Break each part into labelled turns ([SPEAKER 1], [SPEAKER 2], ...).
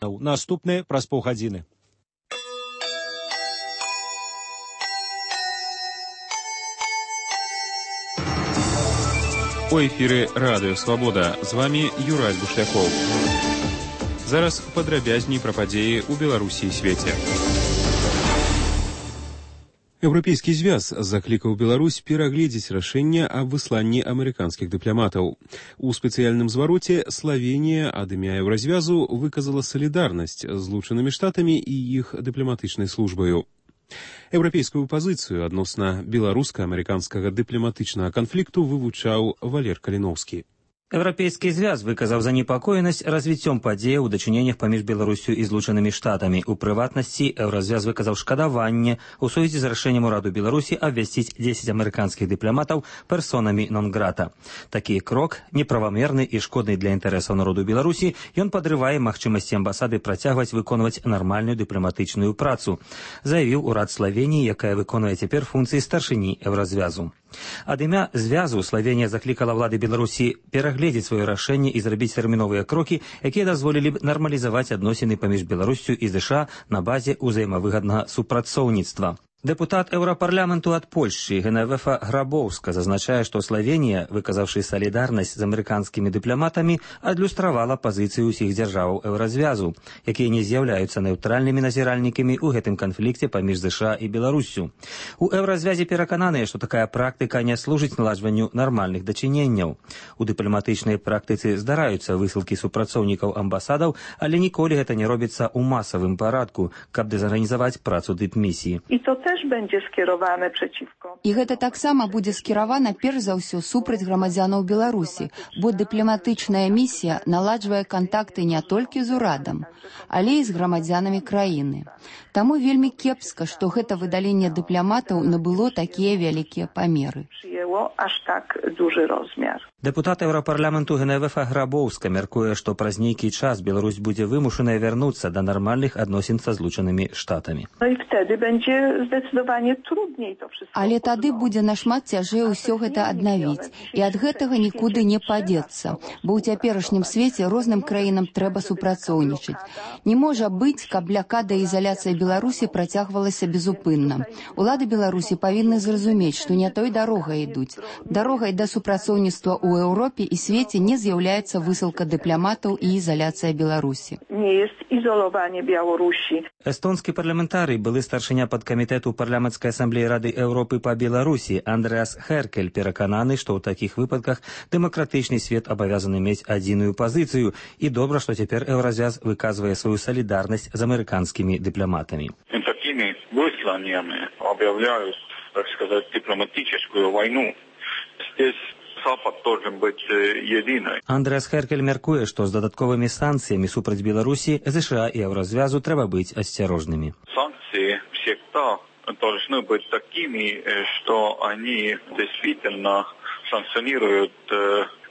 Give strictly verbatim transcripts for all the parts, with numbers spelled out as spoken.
[SPEAKER 1] Наступны праз паўгадзіны.
[SPEAKER 2] У эфіры Радыё Свабода. З вами Юрай Бушлякоў. Зараз падрабязней пра падзеі ў Беларусі і свеце. Еўрапейскі звяз заклікаў Беларусь перагледзець рашэнне аб высланні амерыканскіх дыпламатаў. У спецыяльным звароце Славенія ад імя Еўразвязу выказала салідарнасць з Злучанымі Штатамі і іх дыпламатычнай службаю. Еўрапейскую пазіцыю адносна беларуска-амерыканскага дыпламатычнага канфлікту вывучаў Валер Каліноўскі.
[SPEAKER 3] Еўрапейскі звяз выказаў занепакоенасць развіццём падзеяў у дачыненнях паміж Беларусю і Злучанымі Штатамі. У прыватнасці, Еўразвяз выказаў шкадаванне у сувязі з рашэннем ураду Беларусі абвясціць дзесяць амерыканскіх дыпламатаў персонамі нон-грата. Такі крок неправамерны і шкодны для інтарэсаў народу Беларусі. Ён падрывае магчымасці амбасады працягваць выконваць нармальную дыпламатычную працу, заявіў урад Славеніі, якая выконвае цяпер функцыі старшыні Еўразвязу. Ад імя звязу Славенія заклікала ўлады Беларусі перагледзець сваё рашэнне і зрабіць тэрміновыя крокі, якія дазволілі б нармалізаваць адносіны паміж Беларуссю і ЗША на базе ўзаемавыгаднага супрацоўніцтва. Дэпутат Еўрапарламенту ад Польшчы Геневефа Грабоўска зазначае, што Славенія, выказаўшы салідарнасць з амерыканскімі дыпламатамі, адлюстравала пазіцыю ўсіх дзяржаваў Еўразвязу, якія не з'яўляюцца неўтральнымі назіральнікамі ў гэтым канфлікце паміж ЗША і Беларуссю. У Еўразвязе перакананыя, што такая практыка не служыць наладжванню нармальных дачыненняў. У дыпламатычнай практыцы здараюцца высылкі супрацоўнікаў амбасадаў, але ніколі гэта не робіцца ў масавым парадку, каб дэзарганізаваць працу дыпмісіі.
[SPEAKER 4] І гэта таксама будзе скіравана перш за ўсё супраць грамадзянаў Беларусі, бо дыпламатычная місія наладжвае кантакты не толькі з урадам, але і з грамадзянамі краіны. Таму вельмі кепска, што гэта выдаленне дыпламатаў набыло такія вялікія памеры.
[SPEAKER 3] Дэпутат Еўрапарламенту Геневефа Грабоўска мяркуе, што праз нейкі час Беларусь будзе вымушаная вярнуцца да нармальных адносін са Злучанымі Штатамі.
[SPEAKER 4] Але тады будзе нашмат цяжэй усё гэта аднавіць, і ад гэтага нікуды не падзецца, бо ў цяперашнім свеце розным краінам трэба супрацоўнічаць. Не можа быць, каб блякада і ізаляцыя Беларусі працягвалася безупынна. Улады Беларусі павінны зразумець, што не той дарогай ідуць. Дарогай да супрацоўніцтва ў Еўропе і свеце не з'яўляецца высылка дыпламатаў і ізаляцыя Беларусі.
[SPEAKER 3] Не jest izolowanie Białorusi. Эстонскі парламентарый, былы старшыня падкамітэту парламенцкай асамблеі Рады Еўропы па Беларусі Андреас Херкель перакананы, што ў такіх выпадках дэмакратычны свет абавязаны мець адзіную пазіцыю, і добра, што цяпер Еўразвяз выказвае сваю салідарнасць з амерыканскімі дыпламатамі.
[SPEAKER 5] Такімі высланнямі аб'яўляюць, так сказаць, дыпламатычную вайну. Здесь Запад должен быть единой.
[SPEAKER 3] Андреас Херкель мяркуе, што з дадатковымі санкцыямі супраць Беларусі ЗША і Еўразвязу трэба быць асцярожнымі.
[SPEAKER 5] Санкции всегда должны быть такими, что они действительно санкционируют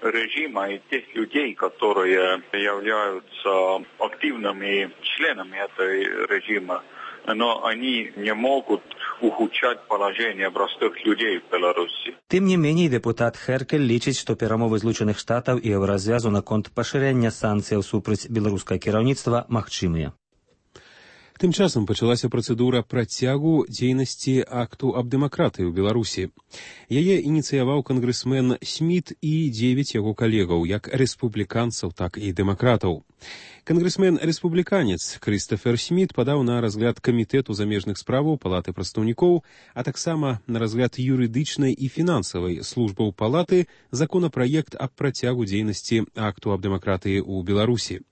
[SPEAKER 5] режима и тех людей, которые являются активными членами этой режима. Но они не могут ухудшать положение простых людей в Беларуси.
[SPEAKER 3] Тым не меней, дэпутат Херкель лічыць, што перамовы Злучаных Штатаў і Еўразвязу наконт пашырэння санкцыяў супраць беларускага кіраўніцтва магчымыя.
[SPEAKER 2] Тым часам пачалася працэдура працягу дзейнасці акту аб дэмакратыі ў Беларусі. Яе ініцыяваў кангрэсмен Сміт і дзевяць яго калегаў, як рэспубліканцаў, так і дэмакратаў. Кангрэсмен-рэспубліканец Крыстофер Сміт падаў на разгляд камітэту замежных справаў Палаты прадстаўнікоў, а таксама на разгляд юрыдычнай і фінансавай службаў Палаты законапраект аб працягу дзейнасці акту аб дэмакратыі ў Беларусі.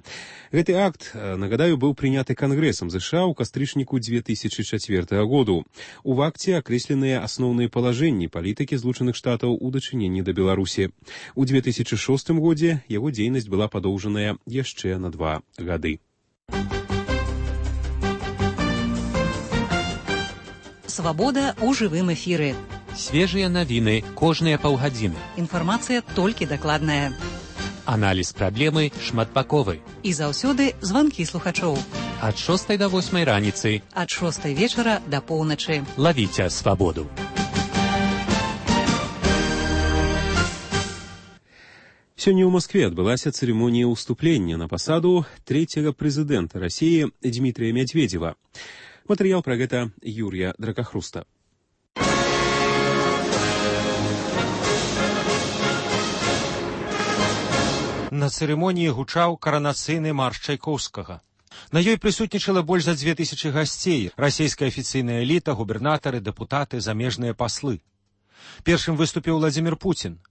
[SPEAKER 2] Гэты акт, нагадаю, быў прыняты Кангрэсам ЗША ў кастрычніку дзве тысячы чацвёртага году. У акце акрэсленыя асноўныя палажэнні палітыкі Злучаных Штатаў у дачыненні да Беларусі. У дзве тысячы шостым годзе яго дзейнасць была падоўжаная яшчэ на два гады.
[SPEAKER 6] Свабода ў жывым эфіры.
[SPEAKER 7] Свежыя навіны кожныя паўгадзіны.
[SPEAKER 6] Інфармацыя толькі дакладная.
[SPEAKER 7] Аналіз праблемы шматбаковы.
[SPEAKER 6] І заўсёды званкі слухачоў.
[SPEAKER 7] Ад шостай да восьмай раніцы.
[SPEAKER 6] Ад шостай вечара да поўначы.
[SPEAKER 7] Лавіце свабоду.
[SPEAKER 2] Сёння ў Москве адбылася цырымонія ўступлення на пасаду трэцяга прэзідэнта Расіі Дмітрия Медведева. Матэрыял пра гэта Юрія Дракахруста.
[SPEAKER 1] На цырымоніі гучаў каранацыйны марш Чайкоўскага. На ёй прысутнічала больш за дзве тысячы гасцей, расійская афіцыйная эліта, губернатары, дэпутаты, замежныя паслы. Першым выступіў Владзімір Пуцін.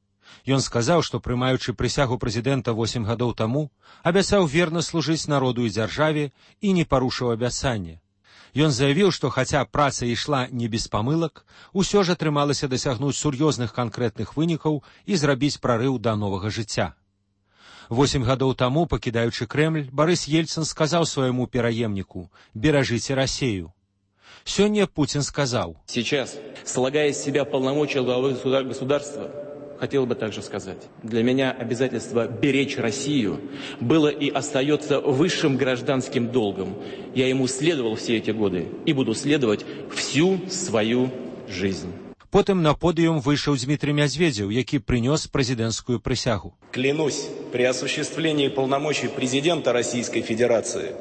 [SPEAKER 1] Ён сказаў, што, прымаючы прысягу прэзідэнта восем гадоў таму, абяцаў верна служыць народу і дзяржаве і не парушыў абяцанне. Ён заявіў, што хаця праца ішла не без памылак, усё ж атрымалася дасягнуць сур'ёзных канкрэтных вынікаў і зрабіць прарыў да новага жыцця. Восем гадоў таму, пакідаючы Крэмль, Барыс Ельцын сказаў свайму пераемніку «Беражыце Расею». Сёння Путин сказал:
[SPEAKER 8] Сейчас, слагая из себя полномочия главы государства, хотел бы также сказать, для меня обязательство беречь Россию было и остается высшим гражданским долгом. Я ему следовал все эти годы и буду следовать всю свою жизнь.
[SPEAKER 1] Потым на подиум выйшаў Дмитрий Медведев, які принес президентскую присягу.
[SPEAKER 9] Клянусь при осуществлении полномочий президента Российской Федерации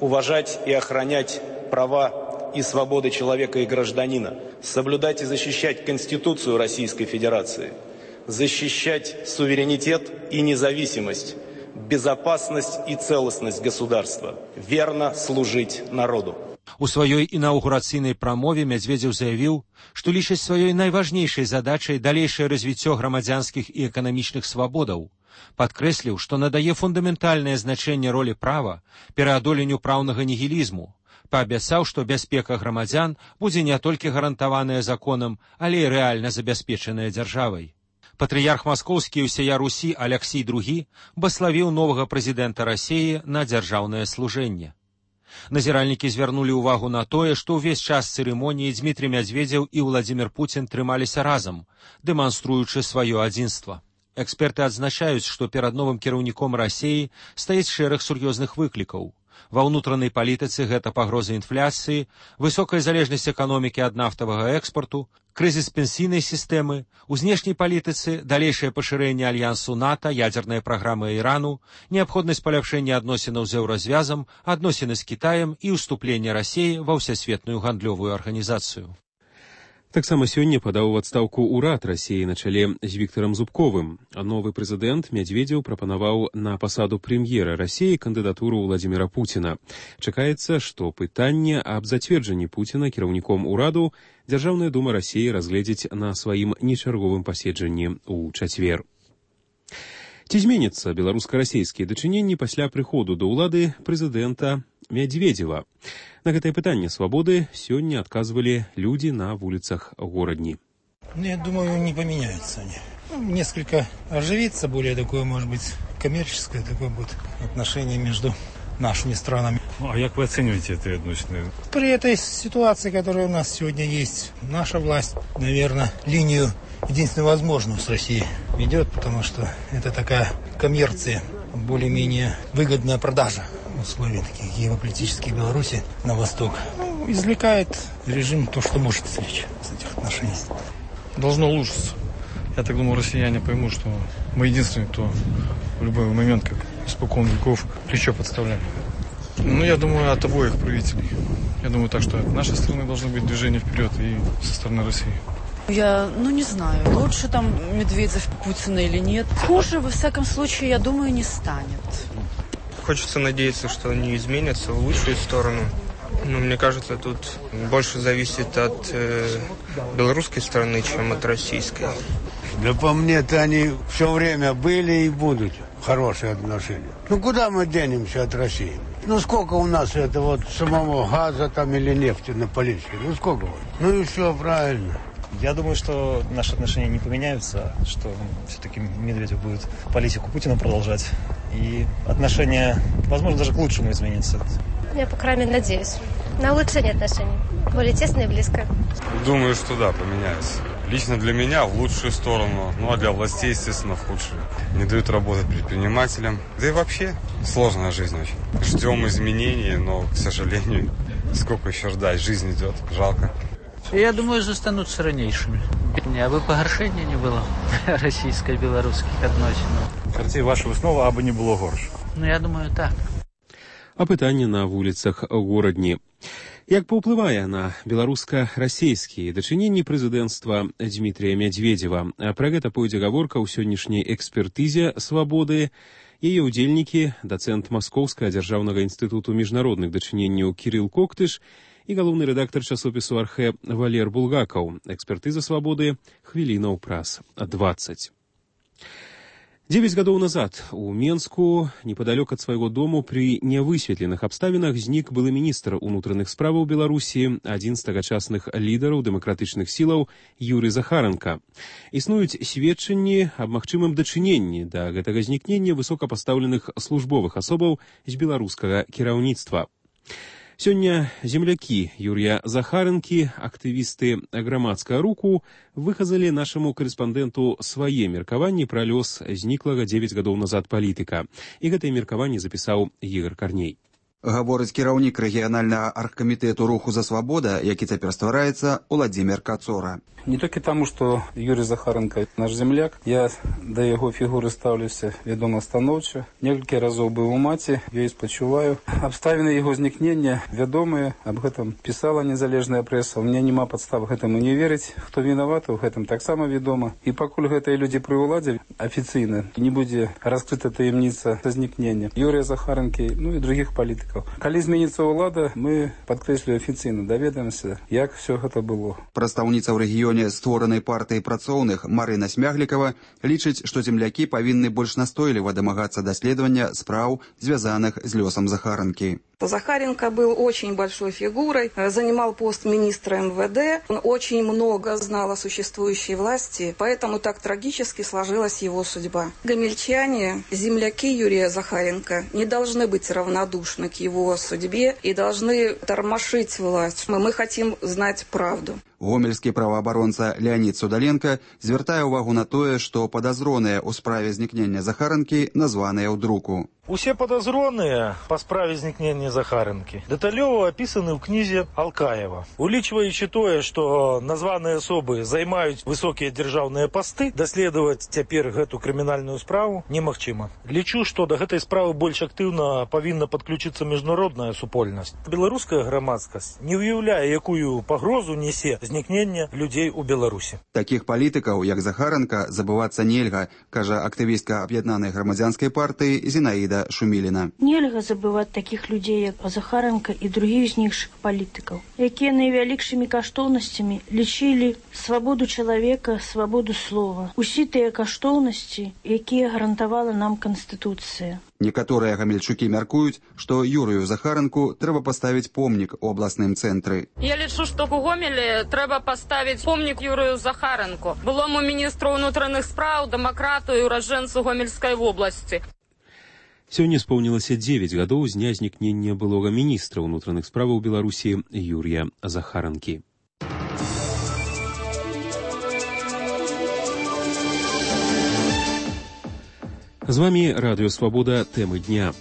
[SPEAKER 9] уважать и охранять права и свободы человека и гражданина, соблюдать и защищать Конституцию Российской Федерации, защищать суверенитет и независимость, безопасность и целостность государства, верно служить народу.
[SPEAKER 1] У сваёй інаўгурацыйнай прамове Медведев заявіў, што лічыць сваёй найважнейшай задачай далейшае развіццё грамадзянскіх і эканамічных свабодаў. Падкрэсліў, што надае фундаментальнае значэнне ролі права пераадоленню праўнага нігілізму. Паабяцаў, што бяспека грамадзян будзе не толькі гарантаваная законам, але і рэальна забяспечаная дзяржавай. Патрыярх маскоўскі і ўсяя Русі Аляксій другі баславіў новага прэзідэнта Расіі на дзяржаўнае служэнне. Назіральнікі звярнулі ўвагу на тое, што ўвесь час цырымоніі Дмітрий Медведев і Владзімір Пуцін трымаліся разам, дэманструючы сваё адзінства. Эксперты адзначаюць, што перад новым кіраўніком Расіі стаіць шэраг сур'ёзных выклікаў. Ва ўнутранай палітыцы гэта пагроза інфляцыі, высокая залежнасць эканомікі ад нафтавага экспарту, крызіс пенсійнай сістэмы, у знешняй палітыцы далейшае пашырэнне альянсу НАТО, ядзерная праграма Ірану, неабходнасць паляпшэння адносінаў з еўразвязам, адносіны з Кітаем і ўступленне Расіі ва ўсесветную гандлёвую арганізацыю.
[SPEAKER 2] Таксама сёння падаў у адстаўку ўрад Расіі на чале з Віктарам Зубковым. А новы прэзідэнт Медведев прапанаваў на пасаду прэм'ера Расіі кандыдатуру Владзіміра Пуціна. Чакаецца, што пытанне аб зацверджанні Пуціна кіраўніком ураду Дзяржаўная дума Расіі разгледзіць на сваім нечарговым паседжанні ў чацвер. Ці зменяцца беларуска-расійскія дачыненні пасля прыходу да ўлады прэзідэнта Медведева? На гэтае пытанне свабоды сёння адказвалі людзі на вуліцах горадні.
[SPEAKER 10] Ну, я думаю, не поменяются они. Ну, несколько оживится, более такое, может быть, коммерческое такое будет отношение между нашими странами.
[SPEAKER 11] А как вы оцениваете это отношение?
[SPEAKER 10] При этой ситуации, которая у нас сегодня есть, наша власть, наверное, линию единственно возможную с Россией ведет, потому что это такая коммерция, более-менее выгодная продажа условий таких геополитических Беларуси на восток. Ну, извлекает режим то, что может извлечь с этих отношений.
[SPEAKER 11] Должно улучшиться. Я так думаю, россияне поймут, что мы единственные, кто в любой момент, как испокон веков, плечо подставляем. Ну, я думаю, от обоих правителей. Я думаю так, что от нашей страны должно быть движение вперед и со стороны России.
[SPEAKER 12] Я, ну, не знаю, лучше там Медведев, Путина или нет. Хуже, во всяком случае, я думаю, не станет.
[SPEAKER 13] Хочется надеяться, что они изменятся в лучшую сторону. Но мне кажется, тут больше зависит от э, белорусской стороны, чем от российской.
[SPEAKER 14] Да по мне-то они все время были и будут хорошие отношения. Ну куда мы денемся от России? Ну сколько у нас это вот самого газа там или нефти на Полисске? Ну сколько вот? Ну и все правильно.
[SPEAKER 15] Я думаю, что наши отношения не поменяются, что все-таки Медведев будет политику Путина продолжать. И отношения, возможно, даже к лучшему изменятся.
[SPEAKER 16] Я, по крайней мере, надеюсь. На улучшение отношений. Более тесно и близко.
[SPEAKER 17] Думаю, что да, поменяются. Лично для меня в лучшую сторону, ну а для властей, естественно, в худшую. Не дают работать предпринимателям. Да и вообще сложная жизнь очень. Ждем изменений, но, к сожалению, сколько еще ждать? Жизнь идет. Жалко.
[SPEAKER 18] Я думаю, застануцца ранейшымі. Абы пагаршэння не было расійска-беларускіх адносінаў.
[SPEAKER 19] Карцей, ваша выснова, абы не было горш.
[SPEAKER 18] Ну, я думаю, так.
[SPEAKER 2] Апытанне на вуліцах горадні. Як паўплывае на беларуска-расейскія дачыненні прэзідэнцтва Дмітрия Медведева? Пра гэта пойдзе гаворка ў сённяшняй экспертызе «Свабоды». Яе ўдзельнікі, дацэнт Маскоўскага дзяржаўнага інстытуту міжнародных дачыненняў Кірыл Коктыш і галоўны рэдактар часопісу «Архэ» Валер Булгакаў. Экспертыза «Свабоды» хвілінаў праз дваццаць. Девять гадоў назад у Менску, непадалёк ад свайго дому, пры нявысветленых абставінах знік былы міністр унутраных справаў Беларусі, адзін з тагачасных лідараў дэмакратычных сілаў Юрый Захаранка. Існуюць сведчанні аб магчымым дачыненні да гэтага знікнення высокапастаўленых службовых асобаў з беларускага кіраўніцтва. Сёння землякі Юрія Захаранкі, актывісты грамадскага руху, выказалі нашаму карэспандэнту свае меркаванні пра лёс зніклага дзевяць гадоў назад палітыка. І гэтае меркаванне запісаў Ігор Карней.
[SPEAKER 20] Гаворыць кіраўнік рэгіянальнага аргкамітэту руху за свабода, які цяпер ствараецца, Уладзімір Кацора.
[SPEAKER 21] Не толькі таму, што Юрий Захаранка наш земляк, я да яго фігуры стаўлюся, вядома, станоўча. Некалькі разоў быў у маці, ёй спачуваю. Абставіны яго знікнення вядомыя, аб гэтым пісала незалежная прэса. У меня няма падстав гэтаму не верыць. Хто вінаваты, у гэтым таксама вядома. І пакуль гэтыя людзі пры ўладзе афіцыйна не будзе раскрыта таямніца знікнення Юрия Захаранкі, ну і других палітыкаў. Калі зменіцца ўлада, мы, падкрэслю, афіцыйна даведаемся, як все гэта было.
[SPEAKER 20] Прадстаўніца ў рэгіёне створанай партыі працоўных Марына Смяглікава лічыць, што землякі павінны больш настойліва дамагацца даследавання спраў, звязаных з лёсам Захаранкі.
[SPEAKER 22] Захаренко был очень большой фигурой, занимал пост министра эм вэ дэ, он очень много знал о существующей власти, поэтому так трагически сложилась его судьба. Гомельчане, земляки Юрия Захаренко, не должны быть равнодушны к его судьбе и должны тормошить власть. Мы хотим знать правду.
[SPEAKER 20] Гомельскі праваабаронца Леонид Судаленко звяртае ўвагу на тое, што падазроныя ў справе знікнення Захаранкі названыя ў друку.
[SPEAKER 23] Усе падазроныя па справе знікнення Захаранкі дэталёва апісаны ў кнізе Алкаева. Улічваючы тое, што названыя асобы займаюць высокія дзяржаўныя пасты, даследаваць цяпер гэту крымінальную справу немагчыма. Лічу, што да гэтай справы больш актыўна павінна падключыцца міжнародная супольнасць. Беларуская грамадскасць не ўяўляе, якую пагрозу несе знікнення людзей у Беларусі.
[SPEAKER 20] Такіх палітыкаў, як Захаранка, забывацца нельга, кажа актывістка аб'яднанай грамадзянскай партыі Зінаіда Шуміліна.
[SPEAKER 24] Нельга забываць такіх людзей, як Захаранка і другіх знікшых палітыкаў, якія найвялікшымі каштоўнасцямі лічылі свабоду чалавека, свабоду слова. Усе тыя каштоўнасці, якія гарантавала нам Канстытуцыя.
[SPEAKER 20] Некаторыя гамельчукі мяркуюць, што Юрыю Захаранку трэба паставіць помнік у абласным цэнтры.
[SPEAKER 25] Я лічу, што ў Гомелі трэба паставіць помнік Юрыю Захаранку, былому міністру ўнутраных спраў, дэмакрату і ураджэнцу Гомельскай вобласці.
[SPEAKER 2] Сёння споўнілася дзевяць гадоў з дня знікнення былога міністра ўнутраных справаў Беларусі Юрія Захаранкі. З вамі радыё «Свабода», тэмы дня.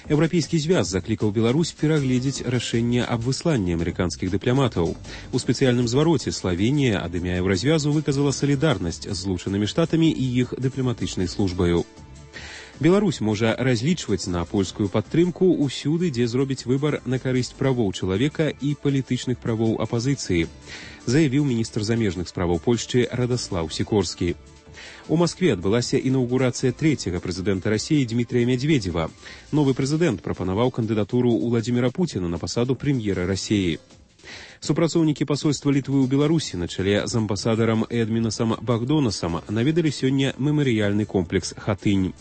[SPEAKER 2] Еўрапейскі звяз заклікаў Беларусь перагледзець рашэнне аб высланні амерыканскіх дыпламатаў. У спецыяльным звароце Славенія ад імя Еўразвязу выказала салідарнасць з Злучанымі Штатамі і іх дыпламатычнай службаю. Беларусь можа разлічваць на польскую падтрымку ўсюды, дзе зробіць выбар на карысць правоў чалавека і палітычных правоў апазіцыі, заявіў міністр замежных справаў Польшчы Радаслаў Сікорскі. У Маскве адбылася інаўгурацыя трэцяга прэзідэнта Расіі Дмітрия Медведева. Новы прэзідэнт прапанаваў кандыдатуру Уладзіміра Пуціна на пасаду прэм'ера Расіі. Супрацоўнікі пасольства Літвы ў Беларусі на чале з амбасадарам Эдмінасам Багдонасам наведалі сёння мемарыяльны комплекс «Хатынь».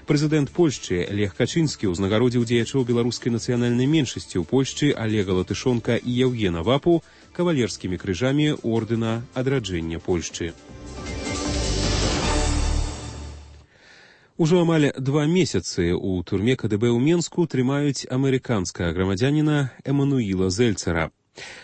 [SPEAKER 2] Прэзідэнт Польшчы Лех Качынскі ўзнагародзіў дзеячоў беларускай нацыянальнай меншасці ў Польшчы Алега Латышонка і Яўгена Вапу кавалерскімі крыжамі ордэна адраджэння Польшчы. Ужо амаль два месяцы ў турме ка дэ бэ ў Менску трымаюць амерыканскага грамадзяніна Эмануіла Зельцера.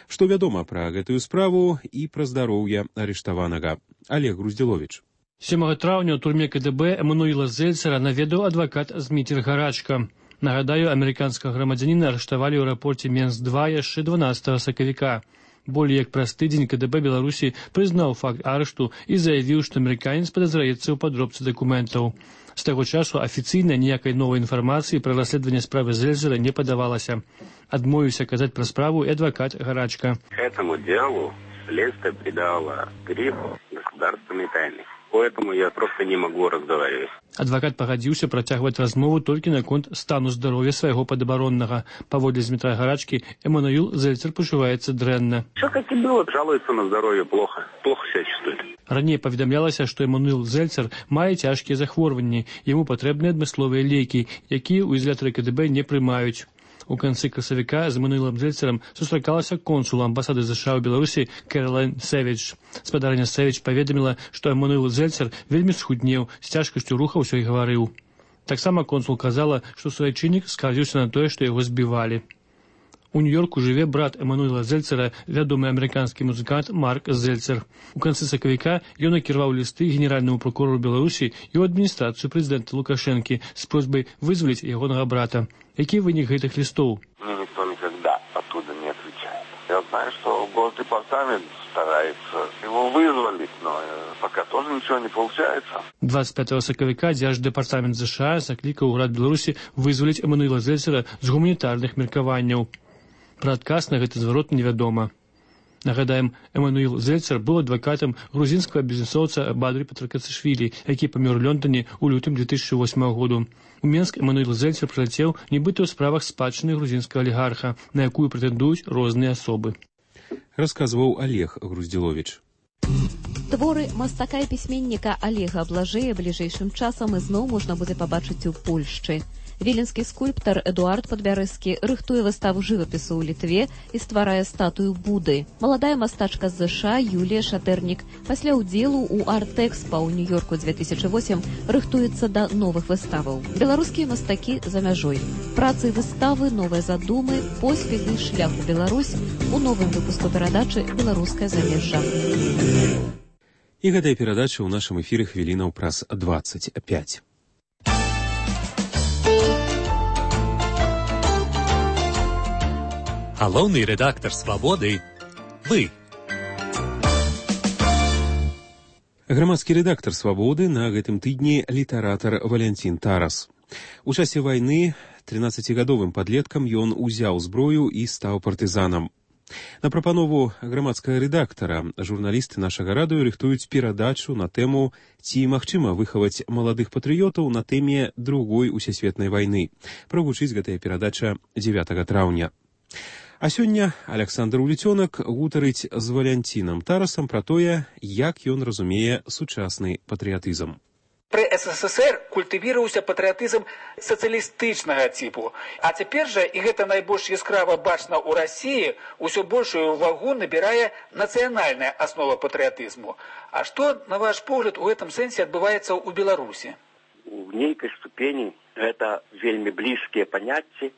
[SPEAKER 2] Што вядома пра гэтую справу і пра здароўе арыштаванага? Олег Груздзіловіч.
[SPEAKER 26] сёмага траўня ў турме ка дэ бэ Эмануіла Зельцера наведаў адвакат Зміцер Гарачка. Нагадаю, амерыканскага грамадзяніна арыштавалі ў аэрапорце Менск два яшчэ дванаццатага сакавіка. Более як праз тыдзень КДБ Беларусі прызнаў факт арышту і заявіў, што амерыканец падазраецца ў падробцы дакументаў. З таго часу афіцыйна ніякай новай інфармацыі пра расследаванне справы Зельцера не падавалася. Адмовіўся казаць пра справу і адвакат Гарачка.
[SPEAKER 3] Этому делу следствие придало грифу государственной тайны. Поэтому я просто не могу разговаривать.
[SPEAKER 26] Адвакат пагадзіўся працягваць размову толькі наконт стану здароўя свайго падабароннага. Паводле Змітра Гарачкі, Эммануил Зельцер пачуваецца дрэнна.
[SPEAKER 3] Все как и было. Жалуется на здоровье плохо. Плохо себя чувствует.
[SPEAKER 26] Раней паведамлялася, што Эммануил Зельцер мае цяжкія захворванні. Яму патрэбныя адмысловыя лекі, якія ў ізалятары КДБ не прымаюць. У канцы красавіка з Эммануилом Зельцерам сустракалася консул амбасады США ў Беларусі Кэролайн Сэвідж. Спадарня Сэвідж паведаміла, што Эммануил Зельцер вельмі схуднеў, з цяжкасцю рухаўся і гаварыў. Таксама консул казала, што суайчыннік скардзіўся на тое, што яго збівалі. У Нью-Йорку жыве брат Эммануила Зельцера, вядомы амерыканскі музыкант Марк Зельцер. У канцы сакавіка ён накіраваў лісты генеральнаму прокурору Беларусі і ў адміністрацыю прэзідэнта Лукашэнкі з просьбай вызваліць ягонага брата. Які вынік гэтых листов?
[SPEAKER 3] Мне никто никогда оттуда не отвечает. Я знаю, что Госдепартамент старается его вызволить, но пока тоже ничего не получается.
[SPEAKER 26] двадцать пятого сакавіка Дзярждэпартамент США заклікаў урад Беларусі вызваліць Эммануила Зельцера з гуманітарных меркаванняў. Пра адказ на гэты зварот невядома. Нагадаем, Эммануил Зельцер быў адвакатам грузінскага бізнесоўца Бадры Патракацішвілі, які памёр у Лондоне ў лютым две тысячи восьмого году. У Менск Эммануил Зельцер прылецеў нібыта ў справах спадчыны грузінскага алігарха, на якую прэтэндуюць розныя асобы.
[SPEAKER 2] Расказваў Олег Груздзіловіч.
[SPEAKER 4] Творы мастака і пісьменніка Олега Блажэя бліжэйшым часам ізноў можна будзе пабачыць у Польшчы. Віленскі скульптар Эдуард Падбярэзкі рыхтуе выставу жывапісу ў Літве і стварае статую Буды. Маладая мастачка з ЗША Юлія Шатэрнік пасля ўдзелу ў арт-экспа ў Нью-Йорку две тысячи восьмым рыхтуецца да новых выставаў. Беларускія мастакі за мяжой. Працы выставы, новыя задумы, поспехі, шлях у Беларусь у новым выпуску перадачы «Беларускае замежжа».
[SPEAKER 2] І гэтая перадача ў нашым эфіры хвілінаў праз двадцать пять.
[SPEAKER 5] Галоўны рэдактар «Свабоды» – вы.
[SPEAKER 2] Грамадскі рэдактар «Свабоды» на гэтым тыдні літаратар Валянцін Тарас. У часе вайны трынаццацігадовым падлеткам ён узяў зброю і стаў партызанам. На прапанову грамадскага рэдактара журналісты нашага радыё рыхтуюць перадачу на тэму «Ці магчыма выхаваць маладых патрыётаў на тэме другой усесветнай вайны». Прагучыць гэтая перадача дзевятага траўня. А сёння Александр Уліцёнак гутарыць з Валянцінам Тарасам пра тое, як ён разумее сучасны патрыятызм.
[SPEAKER 6] Пры СССР культывіраваўся патрыятызм сацыялістычнага типу, а цяпер жа, і гэта найбольш яскрава бачна ў Расіі, усё большую ўвагу набірае нацыянальная аснова патрыятызму. А што, на ваш погляд, у гэтым сэнсе адбываецца ў Беларусі?
[SPEAKER 3] У нейкай ступені гэта вельмі блізкія паняцці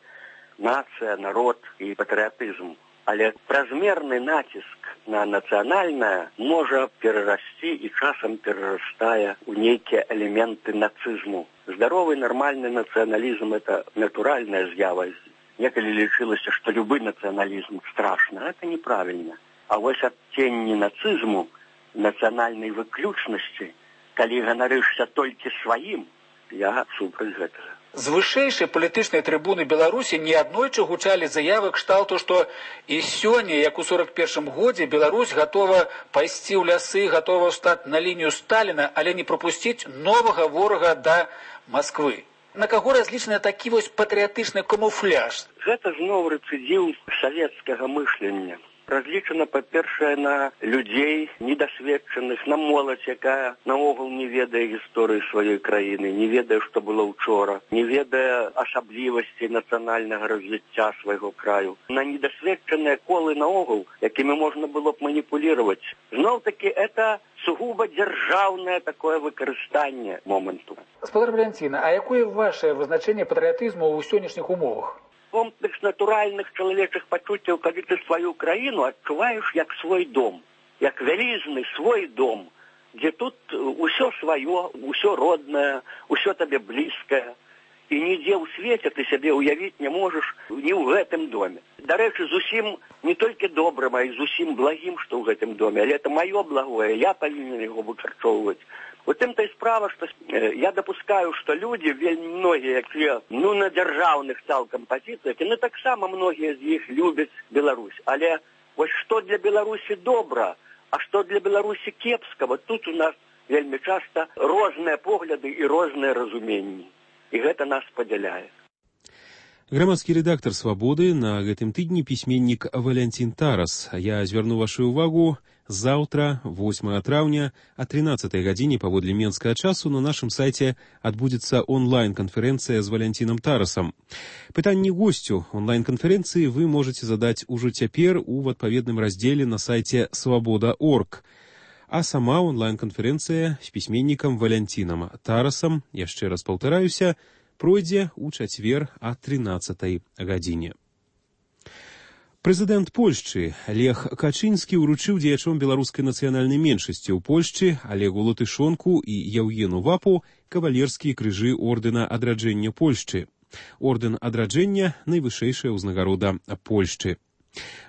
[SPEAKER 3] нацыя, народ і патрыятызм. Але празмерны націск на нацыянальнае можа перарасці і часам перарастае ў нейкія элементы нацызму. Здаровы нармальны нацыяналізм – это натуральная з'ява. Некалі лічылася, што любы нацыяналізм страшны. Гэта неправільна. А вось адценні нацызму, нацыянальнай выключнасці, калі ганарышся толькі сваім, я супраць гэтага.
[SPEAKER 6] З вышэйшай палітычнай трыбуны Беларусі неаднойчы гучалі заявы кшталту, што і сёння, як у сорок першым годзе, Беларусь гатова пайсці ў лясы, гатова стаць на лінію Сталіна, але не прапусціць новага ворага да Масквы. На каго разлічаны такі вось патрыятычны камуфляж?
[SPEAKER 3] Гэта зноў рэцыдзіў савецкага мышлення. Разлічана, па-першае, на людзей недасведчаных, на моладзь, якая наогул не ведае гісторыі сваёй краіны, не ведае, што было ўчора, не ведае асаблівасцей нацыянальнага развіцця свайго краю. На недасведчаныя колы наогул, якімі можна было б маніпулировать. Зноў-таки, это сугуба дзяржаўнае такое выкарыстанне моманту.
[SPEAKER 6] Спадар Валянціна, а якое вашае вызначэнне патрыятызму ў сённяшніх умовах?
[SPEAKER 3] Комплекс натуральных чалавечых пачуццяў, калі ты сваю краіну адчуваеш як свой дом, як вялізны свой дом, дзе тут усё сваё, усё роднае, усё табе блізкае. і нідзе ў свеце ты сябе ўявіць не можаш ні ў гэтым доме. Дарэчы, зусім не толькі добрым, а і зусім благім, што ў гэтым доме, але это маё благое, я павінен яго выкарчоўваць. У тым-то і справа, што э, я дапускаю, што людзі, вельмі многія, якія ну, на дзяржаўных цалкам пазіцыях, і ну, таксама многія з іх любяць Беларусь. Але вось што для Беларусі добра, а што для Беларусі кепска, вот тут у нас вельмі часта розныя погляды і розныя разуменні. І гэта нас падзяляе.
[SPEAKER 2] Грамадскі рэдактар «Свабоды» на гэтым тыдні пісьменнік Валянцін Тарас. Я звярну вашу ўвагу, заўтра, восьмага траўня, о тринадцатай гадзіне паводле менскага часу на нашым сайце адбудзецца онлайн-канферэнцыя з Валянцінам Тарасам. Пытанні госцю онлайн-канферэнцыі вы можаце задаць ужо цяпер у адпаведным раздзеле на сайце свабода точка орг. А сама онлайн-канферэнцыя з пісьменнікам Валянцінам Тарасам, яшчэ раз паўтараюся, пройдзе ў чацвер о тринадцатай гадзіне. Прэзідэнт Польшчы Лех Качынскі ўручыў дзеячом беларускай нацыянальнай меншасці ў Польшчы Олегу Латышонку і Яўгену Вапу кавалерскія крыжы ордэна адраджэння Польшчы. Ордэн адраджэння – найвышэйшая ўзнагарода Польшчы.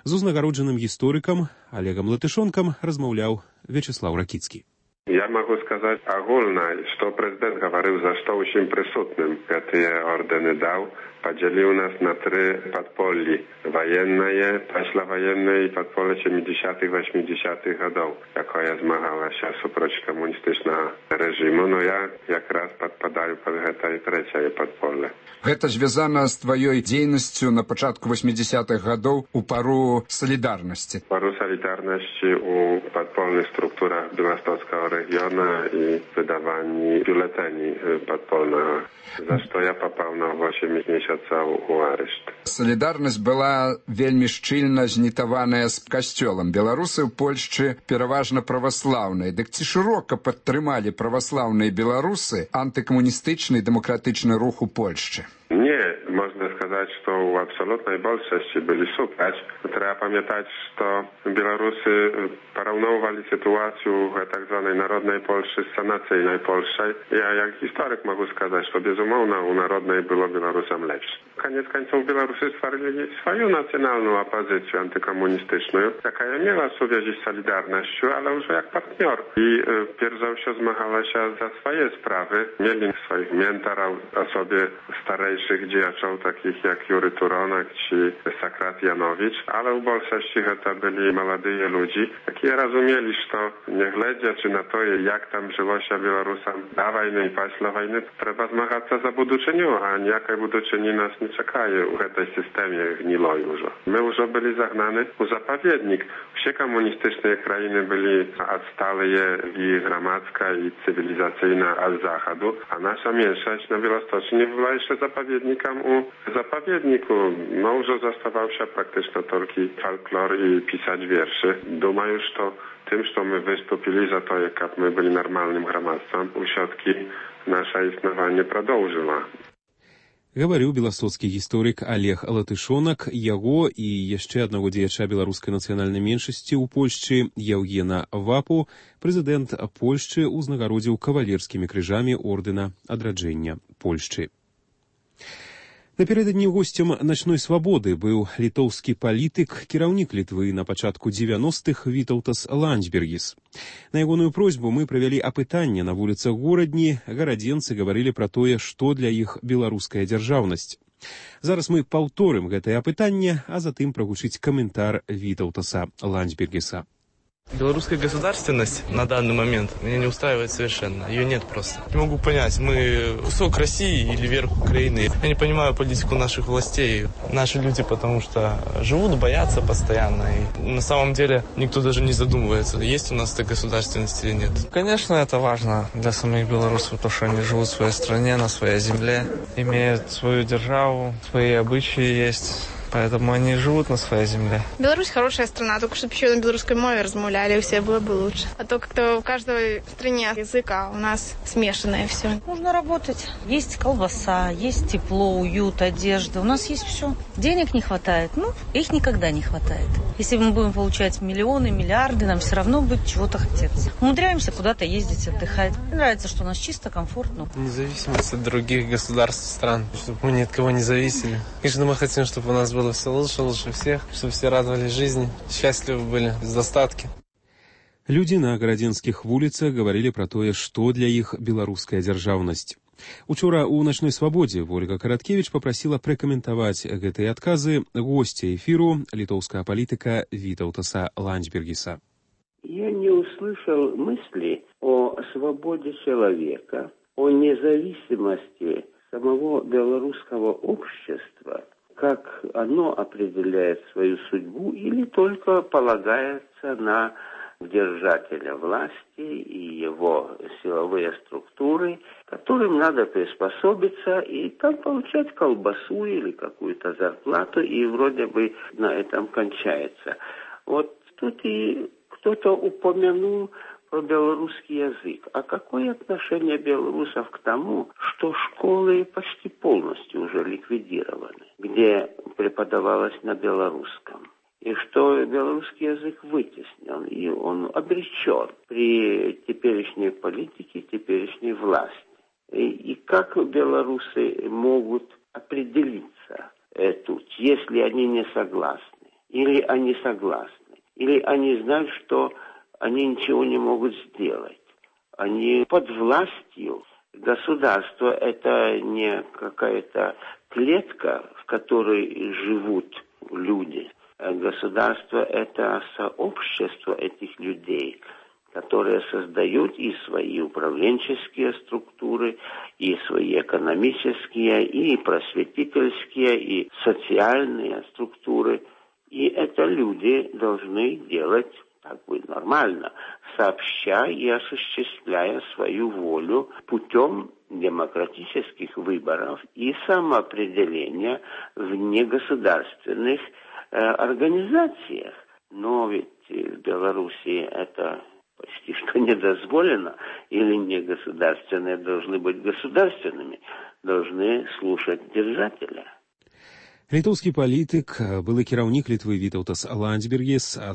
[SPEAKER 2] З узнагароджаным гісторыкам Олегам Латышонкам размаўляў Вячеслав Ракіцкі.
[SPEAKER 1] Я могу сказать огульно, что президент говорил, за что всем присутным эти ордены дал, поделил нас на три подполья. Военное, послевоенное и подполье семидесятых восьмидесятых годов, какое змагалось супротив коммунистичного режима, но я как раз подпадаю под это и третье подполье.
[SPEAKER 7] Гэта звязана з тваёй дзейнасцю на пачатку восьмидесятых годов у пару солідарнасці.
[SPEAKER 1] Пару солідарнасці у подпольных структурах Белостockiego региона и выдавании бюллетеней подпольного, за что я попал на восемь месяцев у арешт.
[SPEAKER 7] Солідарнасць была вельмі шчыльна знітаваная з касцёлам. Беларусы ў Польшчы пераважна праваслаўныя. Дык ці шырока падтрымалі праваслаўныя беларусы антыкамуністычны і дэмакратычны рух у Польшчы?
[SPEAKER 1] Nie, można сказать, что у абсолютной большости были супраць. Trzeba pamiętać, что Белорусы порівнювали ситуацию в так званой народной Польши с национальной Польшей. Я, как историк, могу сказать, что, безумовно, у народной было белорусам легче. Конец концов, белорусы створили свою национальную оппозицию антикоммунистyczną, jaka miała связи z Solidarnością, ale już jak partner. I e, pierwszy za все zmagała się za swoje sprawy. Mieli swoich mentorów, osobie starejszych działaczy, takich jak Jury Turonak czy Sakrat Janowicz, ale w większości to byli młodzi ludzie, які rozumieli, że nie глядячи na to, jak tam żyło się Białorusam na wojnie i pісля wojny, trzeba zmagać się za buduczynią, a niejaka buduczyni nas nie czekaje w tej systemie gniloj już. My już byli zagnani w zapowiednik. Wszystkie komunistyczne krainy byli odstałe i gromadzka i cywilizacyjna od zachodu, a nasza mniejszość na Białostoczni była jeszcze zapowiednikiem u zapowiedniku. No już zostawał się praktycznie tylko folklor i pisać wierszy. Думаю, что тем, что мы выступили за то, как мы были нормальным громадством, все-таки наше існаванне продолжило.
[SPEAKER 2] Гаварыў беластоцкі гісторык Олег Латышонак, яго і яшчэ аднаго дзеяча беларускай нацыянальнай меншасці ў Польшчы Яўгена Вапу прэзідэнт Польшчы ўзнагародзіў кавалерскімі крыжамі ордэна адраджэння Польшчы. Напярэдадні госцем «Начной свабоды» быў літоўскі палітык, кіраўнік Літвы на пачатку дзевяностых Вітаўтас Ландсбергіс. На ягоную просьбу мы правялі апытанне на вуліцах горадні, гарадзенцы гаварылі пра тое, што для іх беларуская дзяржаўнасць. Зараз мы паўторым гэтае апытанне, а затым прагучыць каментар Вітаўтаса Ландсбергіса.
[SPEAKER 8] Белорусская государственность на данный момент меня не устраивает совершенно. Ее нет просто. Не могу понять, мы кусок России или верх Украины. Я не понимаю политику наших властей. Наши люди потому что живут, боятся постоянно. И на самом деле никто даже не задумывается, есть у нас эта государственность или нет. Конечно, это важно для самих белорусов, потому что они живут в своей стране, на своей земле, имеют свою державу, свои обычаи есть. Поэтому они живут на своей земле.
[SPEAKER 9] Беларусь хорошая страна, только чтобы еще на белорусской мове размовляли, все было бы лучше. А то как-то в каждой стране язык, а у нас смешанное все.
[SPEAKER 10] Нужно работать. Есть колбаса, есть тепло, уют, одежда. У нас есть все. Денег не хватает. Ну, их никогда не хватает. Если мы будем получать миллионы, миллиарды, нам все равно будет чего-то хотеться. Умудряемся куда-то ездить, отдыхать. Мне нравится, что у нас чисто, комфортно.
[SPEAKER 8] Независимость от других государств, стран, чтобы мы ни от кого не зависели. Конечно, мы хотим, чтобы у нас было все лучше, лучше всех, чтобы все радовались жизни, счастливы были, без достатки.
[SPEAKER 2] Людзі на гарадзенскіх вуліцах гаварылі пра тое, што для іх беларуская дзяржаўнасць. Учора ў начной свабодзе Ольга Караткевіч папрасіла прэкаментаваць гэтыя адказы госця эфіру літоўскага палітыка Вітаўтаса Ландсбергіса.
[SPEAKER 11] Я не услышал мысли о свободе человека, о независимости самого белорусского общества, как оно определяет свою судьбу или только полагается на держателя власти и его силовые структуры, которым надо приспособиться и там получать колбасу или какую-то зарплату, и вроде бы на этом кончается. Вот тут и кто-то упомянул про белорусский язык. А какое отношение белорусов к тому, что школы почти полностью уже ликвидированы, где преподавалось на белорусском? И что белорусский язык вытеснен, и он обречен при теперешней политике, теперешней власти. И, и как белорусы могут определиться э, тут, если они не согласны, или они согласны, или они знают, что они ничего не могут сделать. Они под властью государства, это не какая-то клетка, в которой живут люди. Государство – это сообщество этих людей, которые создают и свои управленческие структуры, и свои экономические, и просветительские, и социальные структуры. И это люди должны делать так бы нормально, сообща и осуществляя свою волю путем демократических выборов и самоопределения в негосударственных э, организациях. Но ведь в Беларуси это почти что не дозволено, или негосударственные должны быть государственными, должны слушать держателя.
[SPEAKER 2] Літоўскі палітык, былы кіраўнік Літвы Вітаўтас Ландсбергіс